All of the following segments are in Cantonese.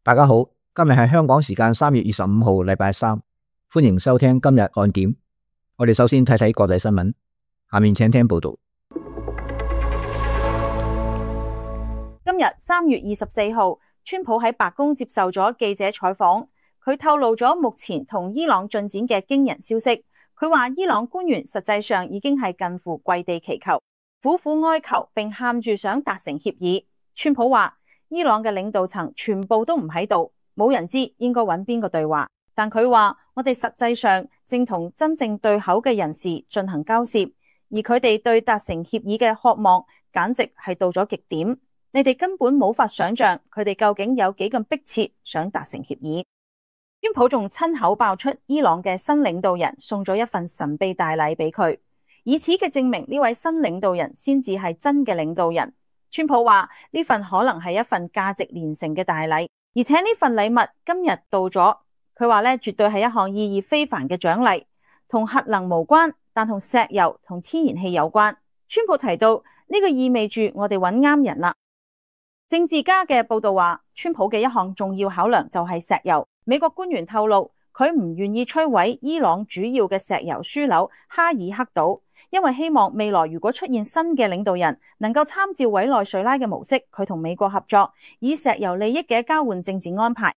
大家好，今日係香港時間3月25號，禮拜三，歡迎收聽今日看點。我哋首先睇睇國際新聞，下面請聽報道。今日3月24號，川普喺白宮接受咗記者採訪，佢透露咗目前同伊朗進展嘅驚人消息。佢話伊朗官員實際上已經係近乎跪地祈求，苦苦哀求，並喊住想達成協議。川普話伊朗嘅領導層全部都唔喺度，冇人知應該揾邊個對話。但佢話我哋實際上正同真正對口嘅人士進行交涉，而佢哋對達成協議嘅渴望簡直係到咗極點。你哋根本冇法想象佢哋究竟有幾咁迫切想達成協議。川普仲親口爆出伊朗嘅新領導人送咗一份神秘大禮俾佢，以此嘅證明呢位新領導人先至係真嘅領導人。川普話呢份可能係一份價值連城嘅大禮，而且呢份禮物今日到咗。佢話絕對係一項意義非凡嘅獎勵，同核能無關，但同石油同天然氣有關。川普提到呢個意味住我哋揾啱人啦。政治家嘅報道話，川普嘅一項重要考量就係石油。美國官員透露，佢唔願意摧毀伊朗主要嘅石油樞紐哈爾克島，因為希望未來如果出現新嘅領導人，能夠參照委內瑞拉嘅模式，佢同美國合作，以石油利益嘅交換政治安排。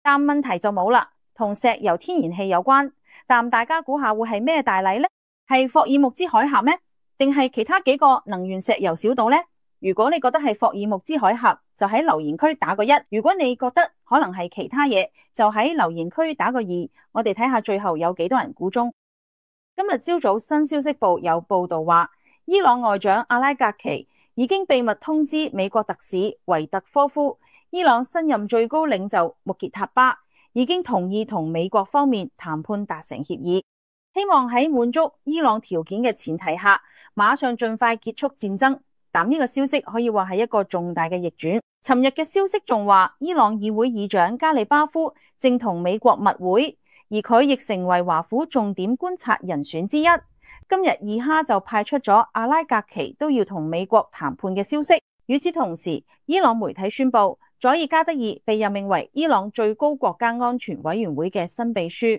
但問題就冇啦，同石油天然氣有關，但大家估下會係咩大禮呢？係霍爾木茲海峽咩？定係其他幾個能源石油小島呢？如果你覺得係霍爾木茲海峽，就喺留言區打個1；如果你覺得可能係其他嘢，就喺留言區打個2。我哋睇下最後有幾多人估中。今日朝早新消息報有報道話，伊朗外長阿拉格奇已經秘密通知美國特使維特科夫，伊朗新任最高領袖穆傑塔巴已經同意同美國方面談判達成協議，希望喺滿足伊朗條件嘅前提下，馬上盡快結束戰爭。但呢個消息可以話係一個重大嘅逆轉。尋日嘅消息仲話，伊朗議會議長加里巴夫正同美國密會，而佢亦成為華府重點觀察人選之一。今日二哈就派出咗阿拉格奇都要同美國談判嘅消息。與此同時，伊朗媒體宣布，佐爾加德爾被任命為伊朗最高國家安全委員會嘅新秘書，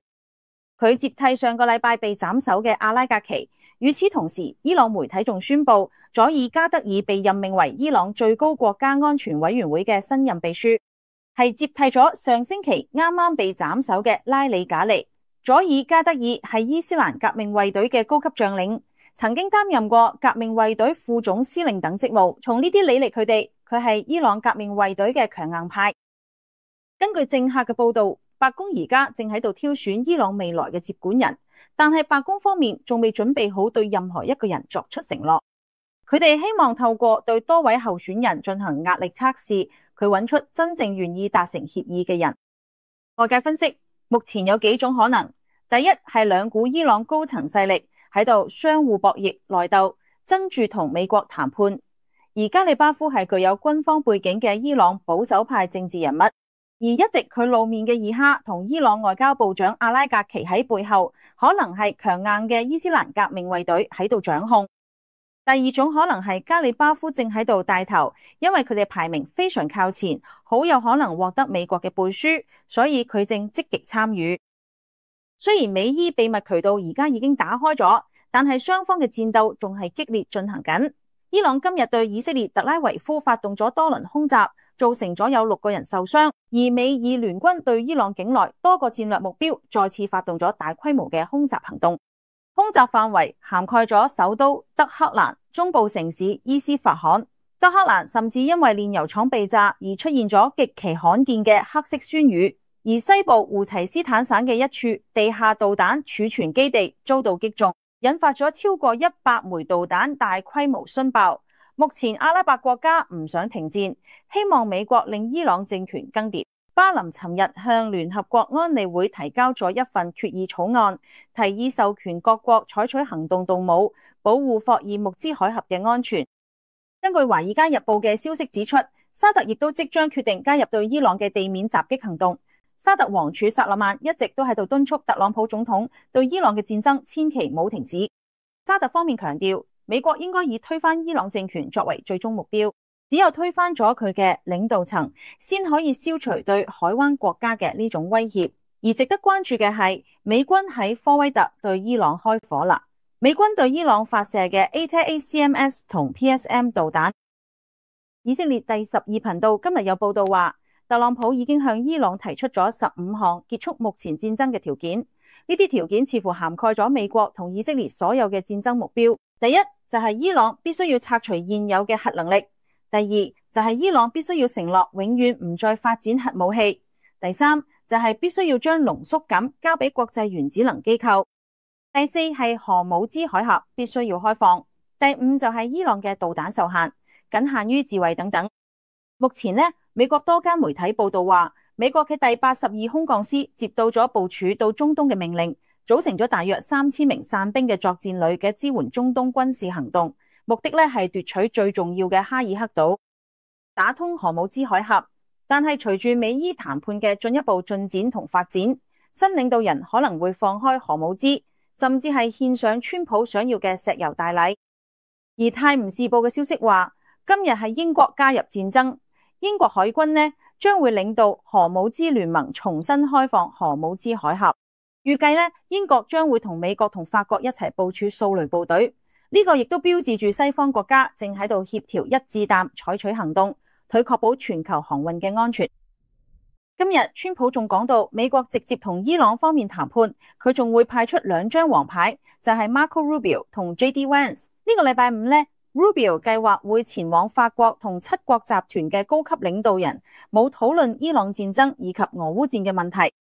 佢接替上個禮拜被斬首嘅阿拉格奇。與此同時，伊朗媒體仲宣布，佐爾加德爾被任命為伊朗最高國家安全委員會嘅新任秘書，係接替咗上星期啱啱被斬首嘅拉里賈尼。佐爾加德爾係伊斯蘭革命衛隊嘅高級將領，曾經擔任過革命衛隊副總司令等職務。從呢啲履歷佢係伊朗革命衛隊嘅強硬派。根據政客嘅報道，白宮而家正喺度挑選伊朗未來嘅接管人，但係白宮方面仲未準備好對任何一個人作出承諾。佢哋希望透過對多位候選人進行壓力測試，佢揾出真正願意達成協議嘅人。外界分析，目前有幾種可能。第一係兩股伊朗高層勢力喺度相互博弈內鬥，爭住同美國談判。而加里巴夫係具有軍方背景嘅伊朗保守派政治人物，而一直佢露面嘅二哈同伊朗外交部長阿拉格奇喺背後，可能係強硬嘅伊斯蘭革命衛隊喺度掌控。第二種可能係加里巴夫正喺度帶頭，因為佢哋排名非常靠前，好有可能獲得美國嘅背書，所以佢正積極參與。雖然美伊秘密渠道而家已經打開咗，但係雙方嘅戰鬥仲係激烈進行緊。伊朗今日對以色列特拉維夫發動咗多輪空襲，造成咗有6個人受傷，而美以聯軍對伊朗境內多個戰略目標再次發動咗大規模嘅空襲行動。空襲範圍涵蓋咗首都德黑蘭、中部城市伊斯法罕。德黑蘭甚至因為煉油廠被炸而出現咗極其罕見嘅黑色酸雨，而西部胡齊斯坦省嘅一處地下導彈儲存基地遭到擊中，引發咗超過100枚導彈大規模殉爆。目前阿拉伯國家唔想停戰，希望美國令伊朗政權更迭。巴林尋日向聯合國安理會提交咗一份決議草案，提議授權各國採取行動動武，保護霍爾木茲海峽嘅安全。根據《華爾街日報》嘅消息指出，沙特亦都即將決定加入對伊朗嘅地面襲擊行動。沙特王儲薩勒曼一直都喺度敦促特朗普總統對伊朗嘅戰爭千祈唔好停止。沙特方面強調，美國應該以推翻伊朗政權作為最終目標。只有推翻咗佢嘅領導層，先可以消除對海灣國家嘅呢種威脅。而值得關注嘅係，美軍喺科威特對伊朗開火啦。美軍對伊朗發射嘅 ATACMS 同 PSM 導彈。以色列第12頻道今日有報道話，特朗普已經向伊朗提出咗15項結束目前戰爭嘅條件。呢啲條件似乎涵蓋咗美國同以色列所有嘅戰爭目標。第一就係伊朗必須要拆除現有嘅核能力。第二就係伊朗必須要承諾永遠唔再發展核武器。第三就係必須要將濃縮鈉交俾國際原子能機構。第四係荷姆茲海峽必須要開放。第五就係伊朗嘅導彈受限，僅限於自衛等等。目前呢，美國多間媒體報道話，美國嘅第82空降師接到咗部署到中東嘅命令，組成咗大約3000名傘兵嘅作戰旅嘅支援中東軍事行動，目的呢係奪取最重要嘅哈爾克島，打通荷姆茲海峽。但係隨住美伊談判嘅進一步進展同發展，新領導人可能會放開荷姆茲，甚至係獻上川普想要嘅石油大禮。而泰晤士報嘅消息話，今日係英國加入戰爭，英國海軍呢將會領導荷姆茲聯盟重新開放荷姆茲海峽。預計呢，英國將會同美國同法國一齊部署掃雷部隊。呢個亦都標誌住西方國家正喺度協調一致彈採取行動，佢確保全球航運嘅安全。今日川普仲講到，美國直接同伊朗方面談判，佢仲會派出2張黃牌，就係 Marco Rubio 同 JD Vance。呢個禮拜五呢，Rubio 計劃會前往法國同7國集團嘅高級領導人，冇討論伊朗戰爭以及俄烏戰嘅問題。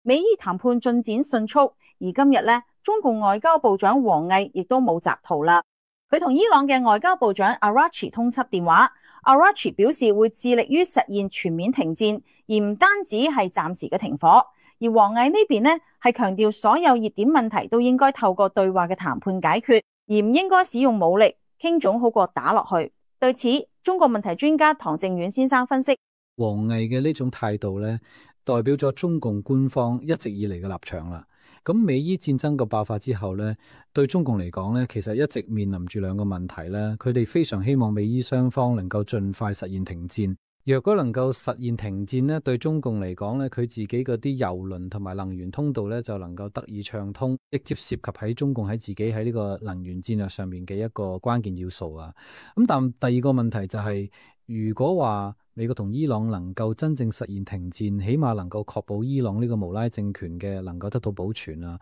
美伊談判進展迅速，而今日呢，中共外交部長王毅亦都冇摘圖啦。佢同伊朗嘅外交部長 Araghchi 通緝電話。Araghchi 表示會致力於實現全面停戰，而唔單止係暫時嘅停火。而王毅呢邊呢係強調所有熱點問題都應該透過對話嘅談判解決，而唔應該使用武力，傾總好過打落去。對此，中國問題專家唐正遠先生分析，王毅嘅呢種態度呢，代表咗中共官方一直以嚟嘅立場啦。咁美伊戰爭嘅爆發之後呢，對中共嚟講呢，其實一直面臨住2個問題啦。佢哋非常希望美伊雙方能夠盡快實現停戰。若果能夠實現停戰呢，對中共嚟講呢，佢自己嗰啲油輪同埋能源通道呢，就能夠得以暢通，直接涉及喺中共喺自己喺呢個能源戰略上面嘅一個關鍵要素啊。咁但第2個問題就係，如果話美國同伊朗能夠真正實現停戰，起碼能夠確保伊朗呢個無拉政權嘅能夠得到保存啊。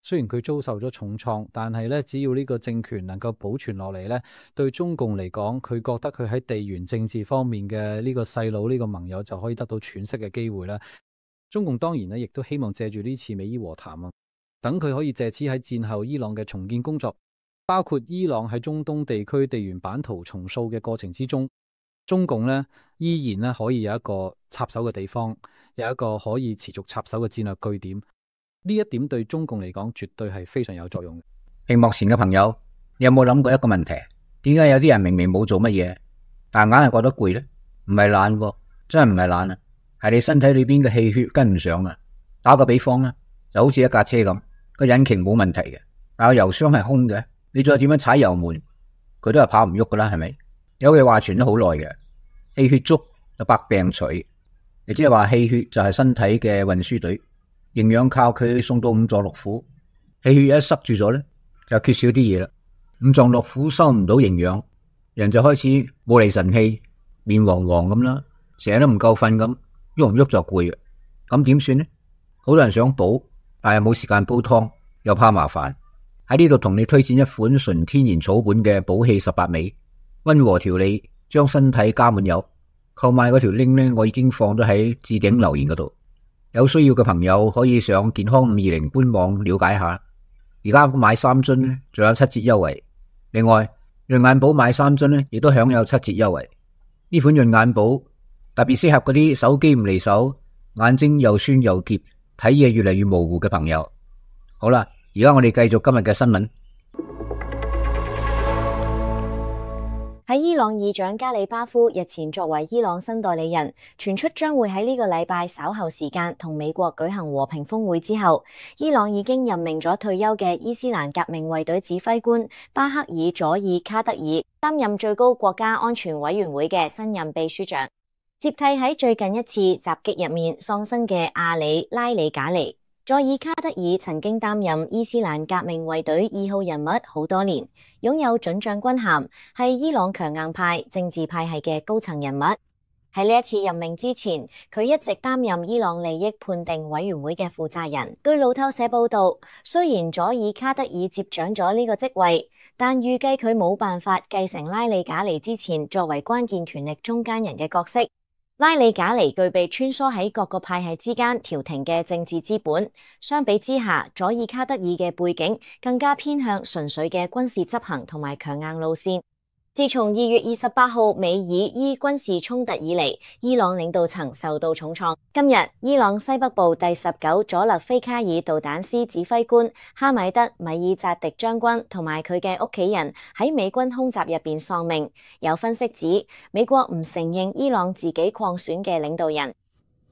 雖然佢遭受咗重創，但係咧，只要呢個政權能夠保存落嚟咧，對中共嚟講，佢覺得佢喺地緣政治方面嘅呢個細佬呢個盟友就可以得到喘息嘅機會啦。中共當然咧，亦都希望借住呢次美伊和談啊，等佢可以借此喺戰後伊朗嘅重建工作，包括伊朗喺中東地區地緣版圖重塑嘅過程之中，中共呢依然呢可以有一個插手嘅地方，有一個可以持續插手嘅戰略據點。呢一點對中共嚟講絕對係非常有作用嘅。屏幕前嘅朋友，你有冇諗過一個問題？點解有啲人明明冇做乜嘢，但硬係覺得攰呢？唔係懶喎，真係唔係懶啊，係你身體裏邊嘅氣血跟唔上啊。打個比方啦，就好似一架車咁，個引擎冇問題嘅，但係油箱係空嘅，你再點樣踩油門，佢都係跑唔喐噶啦，係咪？有句話傳咗好耐嘅，氣血足就百病除，亦即係話氣血就係身體嘅運輸隊，營養靠佢送到五臟六腑，氣血一塞住咗咧，就缺少啲嘢啦。五臟六腑收唔到營養，人就開始冇厘神氣，面黃黃咁啦，成日都唔夠瞓咁，喐唔喐就攰嘅。咁點算呢？好多人想補，但係冇時間煲湯，又怕麻煩。喺呢度同你推薦一款純天然草本嘅補氣18味，溫和調理，將身體加滿油。購買嗰條 link 呢，我已經放咗喺置頂留言嗰度。有需要嘅朋友可以上健康520官網了解下。而家買3樽呢，仲有7折優惠。另外，潤眼寶買3樽呢，亦都享有7折優惠。呢款潤眼寶特別適合嗰啲手機唔離手、眼睛又酸又澀、睇嘢越嚟越模糊嘅朋友。好啦，而家我哋繼續今日嘅新聞。喺伊朗議長加里巴夫日前作為伊朗新代理人，傳出將會喺呢個禮拜稍後時間同美國舉行和平峰會之後，伊朗已經任命咗退休嘅伊斯蘭革命衛隊指揮官巴克爾佐爾卡德爾擔任最高國家安全委員會嘅新任秘書長，接替喺最近一次襲擊入面喪生嘅阿里拉里賈尼。佐爾卡德爾曾經擔任伊斯蘭革命衛隊2號人物好多年，擁有准將軍銜，係伊朗強硬派政治派系嘅高層人物。喺呢一次任命之前，佢一直擔任伊朗利益判定委員會嘅負責人。據路透社報道，雖然佐爾卡德爾接掌咗呢個職位，但預計佢冇辦法繼承拉里賈尼之前作為關鍵權力中間人嘅角色。拉里賈尼具備穿梭喺各個派系之間調停嘅政治資本，相比之下，佐爾卡德爾嘅背景更加偏向純粹嘅軍事執行同埋強硬路線。自從2月28號美以伊軍事衝突以嚟，伊朗領導層受到重創。今日，伊朗西北部第19佐勒菲卡爾導彈師指揮官哈米德米爾扎迪將軍同埋佢嘅屋企人喺美軍空襲入邊喪命。有分析指，美國唔承認伊朗自己擴選嘅領導人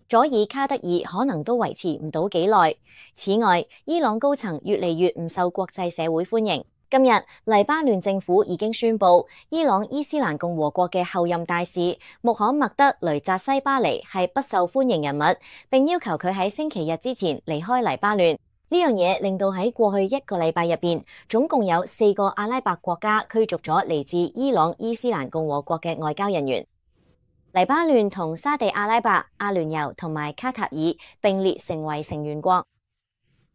佐爾卡德爾可能都維持唔到幾耐。此外，伊朗高層越嚟越唔受國際社會歡迎。今日，黎巴嫩政府已經宣布，伊朗伊斯蘭共和國嘅候任大使穆罕默德雷扎西巴尼係不受歡迎人物，並要求佢喺星期日之前離開黎巴嫩。呢樣嘢令到喺過去1個禮拜入邊，總共有4個阿拉伯國家驅逐咗嚟自伊朗伊斯蘭共和國嘅外交人員。黎巴嫩同沙地阿拉伯、阿聯酋同埋卡塔爾並列成為成員國。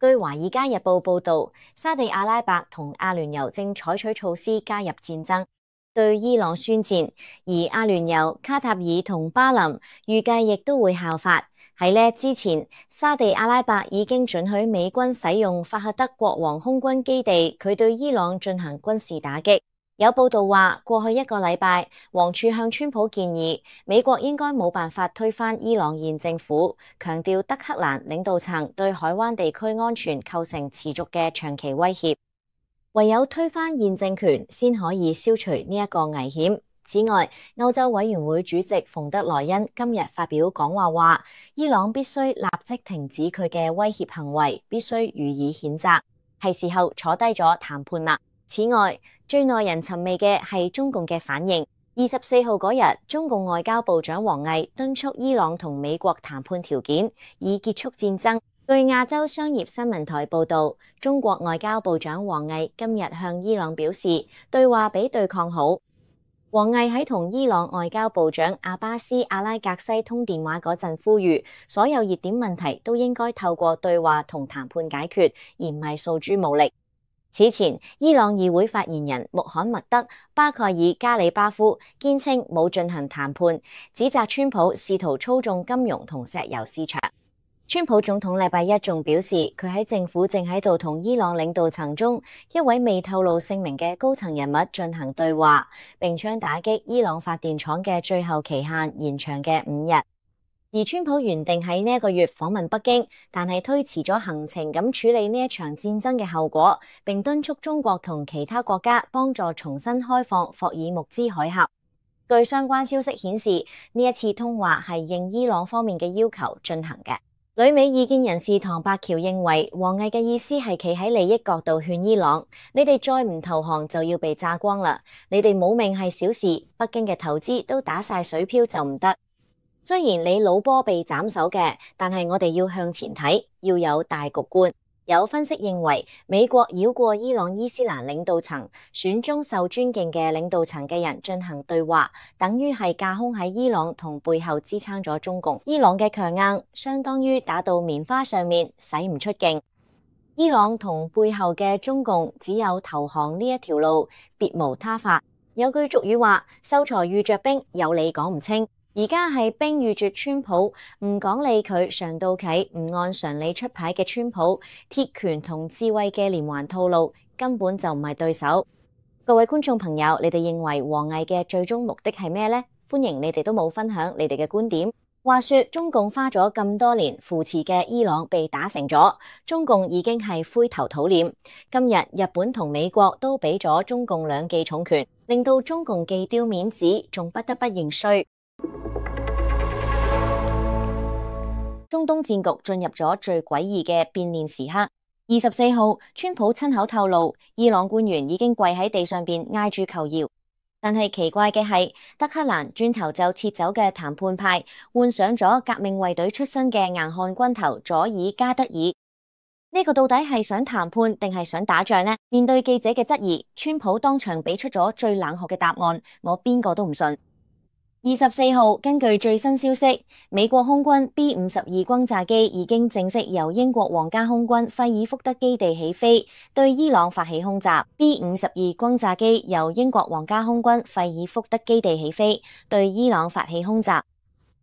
據《華爾街日報》報導，沙地阿拉伯同阿聯酋正採取措施加入戰爭，對伊朗宣戰，而阿聯酋、卡塔爾同巴林預計亦都會效法。喺呢之前，沙地阿拉伯已經准許美軍使用法赫德國王空軍基地，佢對伊朗進行軍事打擊。有報道話，過去1個禮拜，王儲向川普建議，美國應該冇辦法推翻伊朗現政府，強調德黑蘭領導層對海灣地區安全構成持續嘅長期威脅，唯有推翻現政權先可以消除呢一個危險。此外，歐洲委員會主席馮德萊恩今日發表講話話，伊朗必須立即停止佢嘅威脅行為，必須予以譴責，係時候坐低咗談判啦。此外，最耐人尋味嘅係中共嘅反應。24號嗰日，中共外交部長王毅敦促伊朗同美國談判條件，以結束戰爭。據亞洲商業新聞台報導，中國外交部長王毅今日向伊朗表示，對話比對抗好。王毅喺同伊朗外交部長阿巴斯阿拉格西通電話嗰陣，呼籲所有熱點問題都應該透過對話同談判解決，而唔係訴諸武力。此前，伊朗議會發言人穆罕默德巴蓋爾加里巴夫堅稱冇進行談判，指責川普試圖操縱金融同石油市場。川普總統禮拜一仲表示，佢喺政府正喺度同伊朗領導層中一位未透露姓名嘅高層人物進行對話，並將打擊伊朗發電廠嘅最後期限延長嘅5日。而川普原定喺呢一個月訪問北京，但係推遲咗行程咁處理呢一場戰爭嘅後果，並敦促中國同其他國家幫助重新開放霍爾木茲海峽。據相關消息顯示，呢一次通話係應伊朗方面嘅要求進行嘅。旅美意見人士唐伯橋認為，王毅嘅意思係企喺利益角度勸伊朗，你哋再唔投降就要被炸光啦，你哋冇命係小事，北京嘅投資都打晒水漂就唔得。雖然你老波被斬首嘅，但係我哋要向前睇，要有大局觀。有分析認為，美國繞過伊朗伊斯蘭領導層，選中受尊敬嘅領導層嘅人進行對話，等於係架空喺伊朗同背後支撐咗中共。伊朗嘅強硬相當於打到棉花上面，使唔出勁。伊朗同背後嘅中共只有投降呢一條路，別無他法。有句俗語話：秀才遇着兵，有理講唔清。而家係兵遇住川普，唔講理佢上到企，唔按常理出牌嘅川普，鐵拳同智慧嘅連環套路根本就唔係對手。各位觀眾朋友，你哋認為王毅嘅最終目的係咩呢？歡迎你哋都冇分享你哋嘅觀點。話說中共花咗咁多年扶持嘅伊朗被打成咗，中共已經係灰頭土臉。今日日本同美國都俾咗中共兩記重拳，令到中共既丟面子，仲不得不認衰。中東戰局進入咗最詭異嘅變臉時刻。24號，川普親口透露，伊朗官員已經跪喺地上邊挨住求饒。但係奇怪嘅係，德黑蘭轉頭就撤走嘅談判派，換上咗革命衛隊出身嘅硬漢軍頭佐爾加德爾。呢個到底係想談判定係想打仗呢？面對記者嘅質疑，川普當場俾出咗最冷酷嘅答案，我邊個都唔信。24號，根據最新消息，美國空軍 B-52轟炸機已經正式由英國皇家空軍費爾福德基地起飛，對伊朗發起空襲。B-52轟炸機由英國皇家空軍費爾福德基地起飛，對伊朗發起空襲。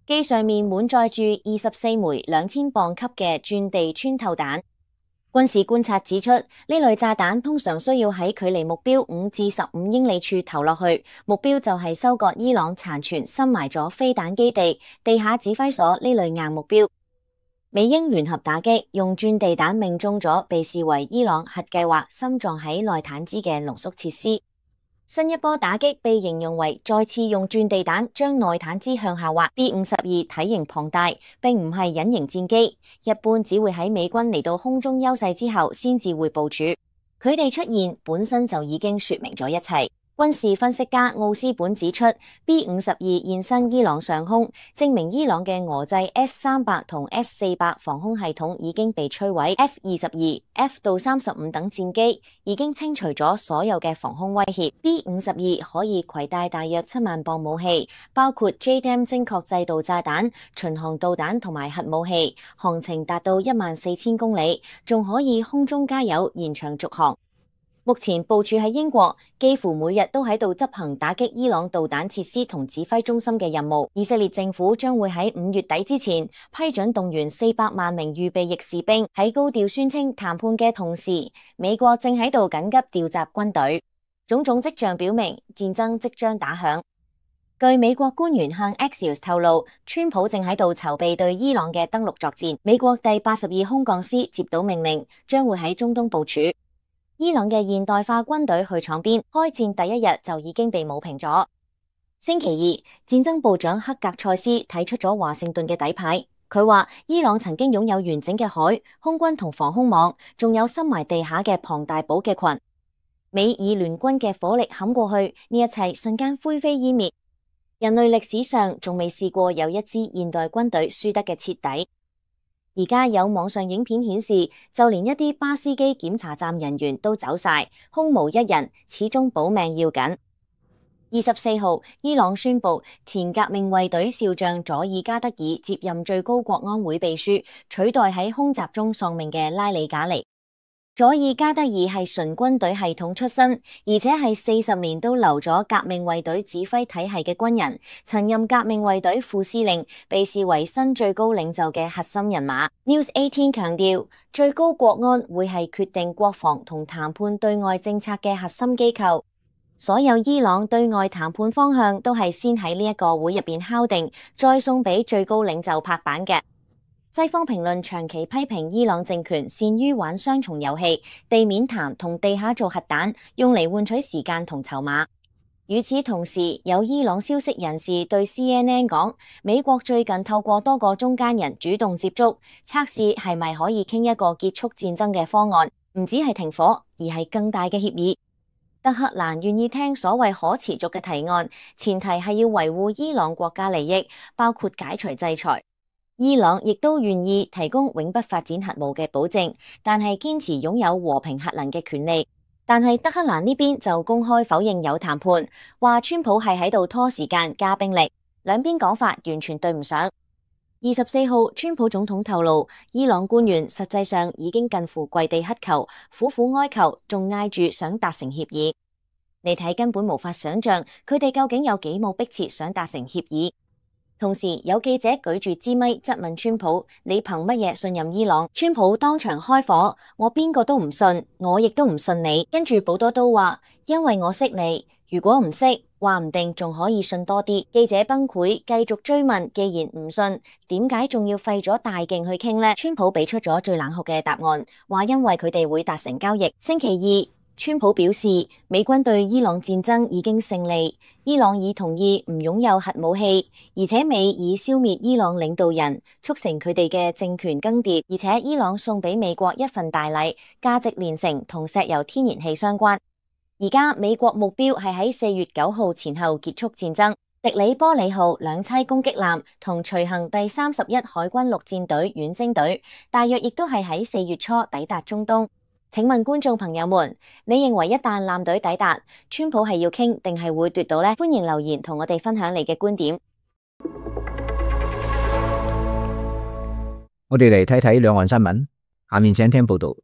機上面滿載住24枚2000磅級嘅鑽地穿透彈。軍事觀察指出，呢類炸彈通常需要喺距離目標5至15英里處投落去，目標就係收割伊朗殘存深埋咗飛彈基地、地下指揮所呢類硬目標。美英聯合打擊，用鑽地彈命中咗被視為伊朗核計劃深藏喺內坦茲嘅濃縮設施。新一波打擊被形容為再次用鑽地彈將內坦茲向下滑。B-52體型龐大，並唔係隱形戰機，一般只會喺美軍嚟到空中優勢之後先至會部署。佢哋出現本身就已經說明咗一切。軍事分析家奧斯本指出 ，B-52現身伊朗上空，證明伊朗嘅俄製 S-300同 S-400防空系統已經被摧毀。F-22、F-35等戰機已經清除咗所有嘅防空威脅。B-52可以攜帶大約7萬磅武器，包括 JDAM 精確制導炸彈、巡航導彈同埋核武器，航程達到14000公里，仲可以空中加油延長續航。目前部署喺英國，幾乎每日都喺度執行打擊伊朗導彈設施同指揮中心嘅任務。以色列政府將會喺5月底之前批准動員400萬名預備役士兵。喺高調宣稱談判嘅同時，美國正喺度緊急調集軍隊，種種跡象表明戰爭即將打響。據美國官員向 Axios 透露，川普正喺度籌備對伊朗嘅登陸作戰。美國第82空降師接到命令，將會喺中東部署。伊朗嘅現代化軍隊去闖邊，開戰第一日就已經被抹平咗。星期二，戰爭部長克格塞斯睇出咗華盛頓嘅底牌。佢話伊朗曾經擁有完整嘅海、空軍同防空網，仲有深埋地下嘅龐大補給群。美以聯軍嘅火力冚過去，呢一切瞬間灰飛煙滅。人類歷史上仲未試過有一支現代軍隊輸得嘅徹底。而家有網上影片顯示，就連一啲巴斯基檢查站人員都走晒，空無一人，始終保命要緊。24號，伊朗宣布前革命衛隊少將佐爾加德爾接任最高國安會秘書，取代喺空襲中喪命嘅拉里賈尼。佐爾加德爾係純軍隊系統出身，而且係40年都留咗革命衛隊指揮體系嘅軍人，曾任革命衛隊副司令，被視為新最高領袖嘅核心人馬。News 18強調，最高國安會係決定國防同談判對外政策嘅核心機構，所有伊朗對外談判方向都係先喺呢一個會入邊敲定，再送俾最高領袖拍板嘅。西方評論長期批評伊朗政權擅於玩雙重遊戲，地面談同地下做核彈，用嚟換取時間同籌碼。與此同時，有伊朗消息人士對 CNN 講，美國最近透過多個中間人主動接觸，測試係咪可以傾一個結束戰爭嘅方案，唔止係停火，而係更大嘅協議。德黑蘭願意聽所謂可持續嘅提案，前提係要維護伊朗國家利益，包括解除制裁。伊朗亦都願意提供永不發展核武嘅保證，但係堅持擁有和平核能嘅權利。但係德黑蘭呢邊就公開否認有談判，話川普係喺度拖時間加兵力，兩邊講法完全對唔上。24號，川普總統透露，伊朗官員實際上已經近乎跪地乞求，苦苦哀求，仲嗌住想達成協議。你睇根本無法想象佢哋究竟有幾冇迫切想達成協議。同時有記者舉住支咪質問川普：你憑乜嘢信任伊朗？川普當場開火：我邊個都唔信，我亦都唔信你。跟住保多都話：因為我識你，如果唔識，話唔定仲可以信多啲。記者崩潰，繼續追問，既然唔信，點解仲要費咗大勁去傾呢？川普俾出咗最冷酷嘅答案，話因為佢哋會達成交易。星期二，川普表示，美軍對伊朗戰爭已經勝利，伊朗已同意唔擁有核武器，而且美已消滅伊朗領導人，促成佢哋嘅政權更迭，而且伊朗送俾美國一份大禮，價值連城，同石油天然氣相關。而家美國目標係喺4月9號前後結束戰爭。迪里波里號兩棲攻擊艦同隨行第31海軍陸戰隊遠征隊，大約亦都係喺4月初抵達中東。請問觀眾朋友們，你認為一旦艦隊抵達，川普係要傾定係會奪到呢？歡迎留言同我哋分享你嘅觀點。我哋嚟睇睇兩岸新聞，下面請聽報道。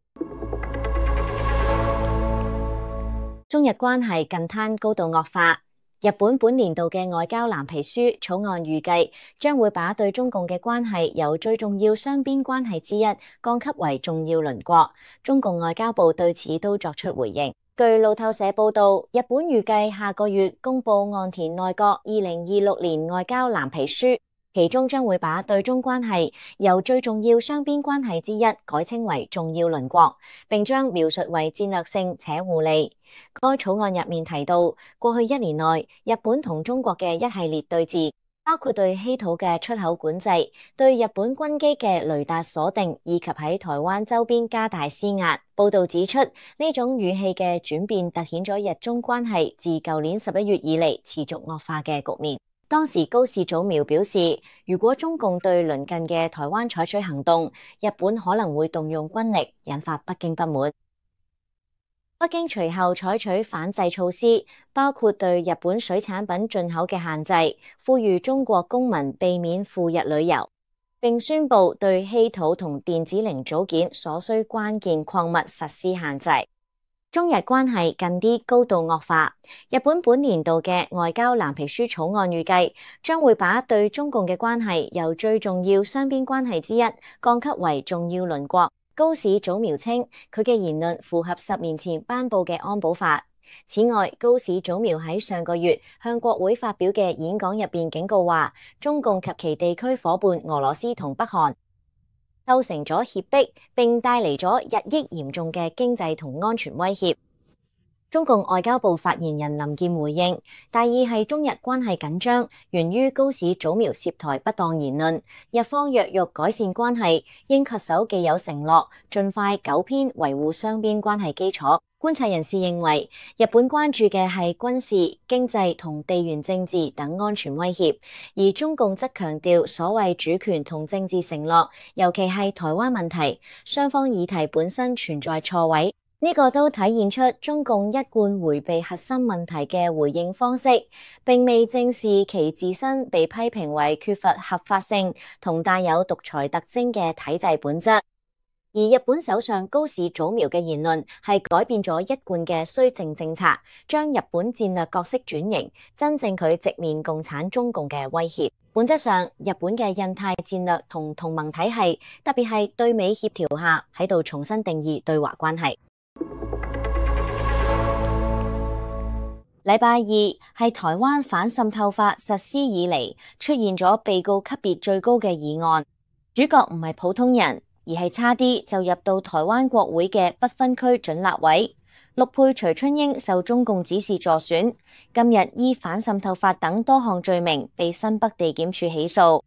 中日關係近灘高度惡化。日本本年度嘅外交藍皮書草案預計將會把對中共嘅關係由最重要雙邊關係之一降級為重要鄰國。中共外交部對此都作出回應。據路透社報道，日本預計下個月公布岸田內閣2026年外交藍皮書，其中將會把對中關係由最重要雙邊關係之一改稱為重要鄰國，並將描述為戰略性且互利。該草案入面提到，過去1年內，日本同中國嘅一系列對峙，包括對稀土嘅出口管制、對日本軍機嘅雷達鎖定，以及喺台灣周邊加大施壓。報道指出，呢種語氣嘅轉變凸顯咗日中關係自舊年11月以嚟持續惡化嘅局面。當時高市早苗表示，如果中共對鄰近嘅台灣採取行動，日本可能會動用軍力，引發北京不滿。北京隨後採取反制措施，包括對日本水產品進口嘅限制，呼籲中國公民避免赴日旅遊，並宣布對稀土同電子零組件所需關鍵礦物實施限制。中日關係近啲高度惡化。日本本年度嘅外交藍皮書草案預計將會把對中共嘅關係由最重要雙邊關係之一降級為重要鄰國。高市早苗稱，佢嘅言論符合10年前頒布嘅安保法。此外，高市早苗喺上個月向國會發表嘅演講入邊警告話，中共及其地區夥伴俄羅斯同北韓構成咗脅迫，並帶嚟咗日益嚴重嘅經濟同安全威脅。中共外交部發言人林健回應，大意係中日關係緊張，源於高市早苗涉台不當言論。日方若欲改善關係，應恪守既有承諾，盡快糾偏維護雙邊關係基礎。觀察人士認為，日本關注嘅係軍事、經濟同地緣政治等安全威脅，而中共則強調所謂主權同政治承諾，尤其係台灣問題，雙方議題本身存在錯位。呢個都體現出中共一貫迴避核心問題嘅回應方式，並未正視其自身被批評為缺乏合法性同帶有獨裁特徵嘅體制本質。而日本首相高市早苗嘅言論係改變咗一貫嘅綏靖政策，將日本戰略角色轉型，真正佢直面共產中共嘅威脅。本質上，日本嘅印太戰略同同盟體系，特別係對美協調下，喺度重新定義對華關係。禮拜二係台灣反滲透法實施以嚟出現咗被告級別最高嘅議案，主角唔係普通人，而係差啲就入到台灣國會嘅不分區準立委。陸配徐春英受中共指示助選，今日依反滲透法等多項罪名被新北地檢署起訴。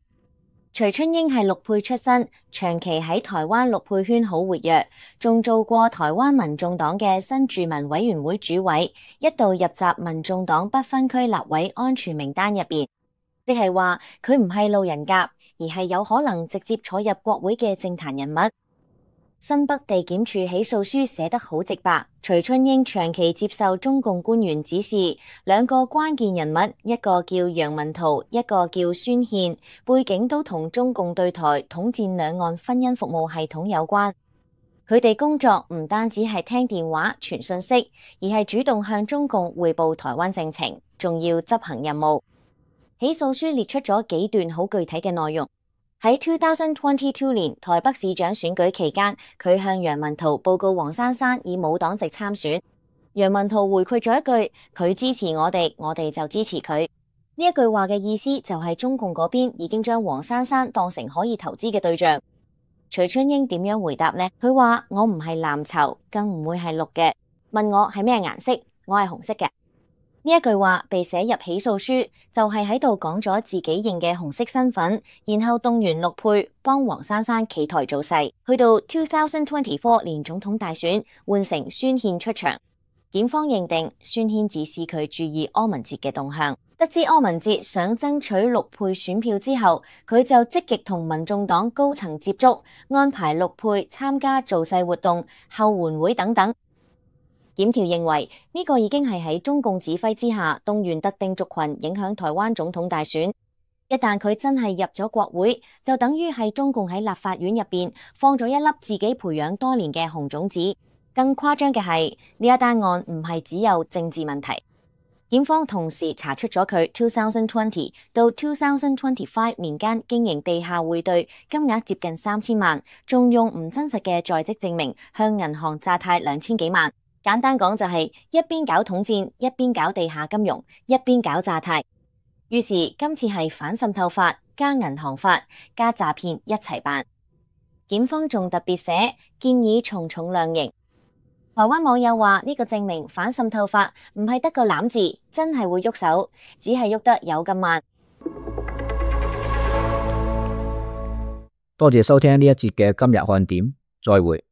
徐春英係陸配出身，長期喺台灣陸配圈好活躍，仲做過台灣民眾黨嘅新住民委員會主委，一度入閘民眾黨不分區立委安全名單入邊，即係話佢唔係路人甲，而係有可能直接坐入國會嘅政壇人物。新北地檢署起訴書寫得好直白，徐春英長期接受中共官員指示，兩個關鍵人物，一個叫楊文濤，一個叫孫憲，背景都同中共對台統戰兩岸婚姻服務系統有關。佢哋工作唔單止係聽電話傳訊息，而係主動向中共匯報台灣政情，仲要執行任務。起訴書列出咗幾段好具體嘅內容。喺2022年台北市長選舉期間，佢向楊文濤報告黃珊珊以無黨籍參選。楊文濤回饋咗一句：佢支持我哋，我哋就支持佢。呢一句話嘅意思就係中共嗰邊已經將黃珊珊當成可以投資嘅對象。徐春英點樣回答呢？佢話：我唔係藍籌，更唔會係綠嘅。問我係咩顏色，我係紅色嘅。呢一句話被寫入起訴書，就係喺度講咗自己認嘅紅色身份，然後動員陸配幫黃珊珊企台造勢。去到2024年總統大選，換成孫憲出場。檢方認定孫憲指示佢注意柯文哲嘅動向，得知柯文哲想爭取陸配選票之後，佢就積極同民眾黨高層接觸，安排陸配參加造勢活動、後援會等等。檢調認為呢個已經係喺中共指揮之下動員特定族群影響台灣總統大選。一旦佢真係入咗國會，就等於係中共喺立法院入邊放咗一粒自己培養多年嘅紅種子。更誇張嘅係，呢一單案唔係只有政治問題。檢方同時查出咗佢2020到2025年間經營地下匯兌，金額接近3000萬，仲用唔真實嘅在職證明向銀行詐貸2000幾萬。簡單講就係一邊搞統戰，一邊搞地下金融，一邊搞詐貸。於是今次係反滲透法加銀行法加詐騙一齊辦。檢方仲特別寫建議從重量刑。台灣網友話呢個證明反滲透法唔係得個攬字，真係會喐手，只係喐得有咁慢。多謝收聽呢一節嘅今日看點，再會。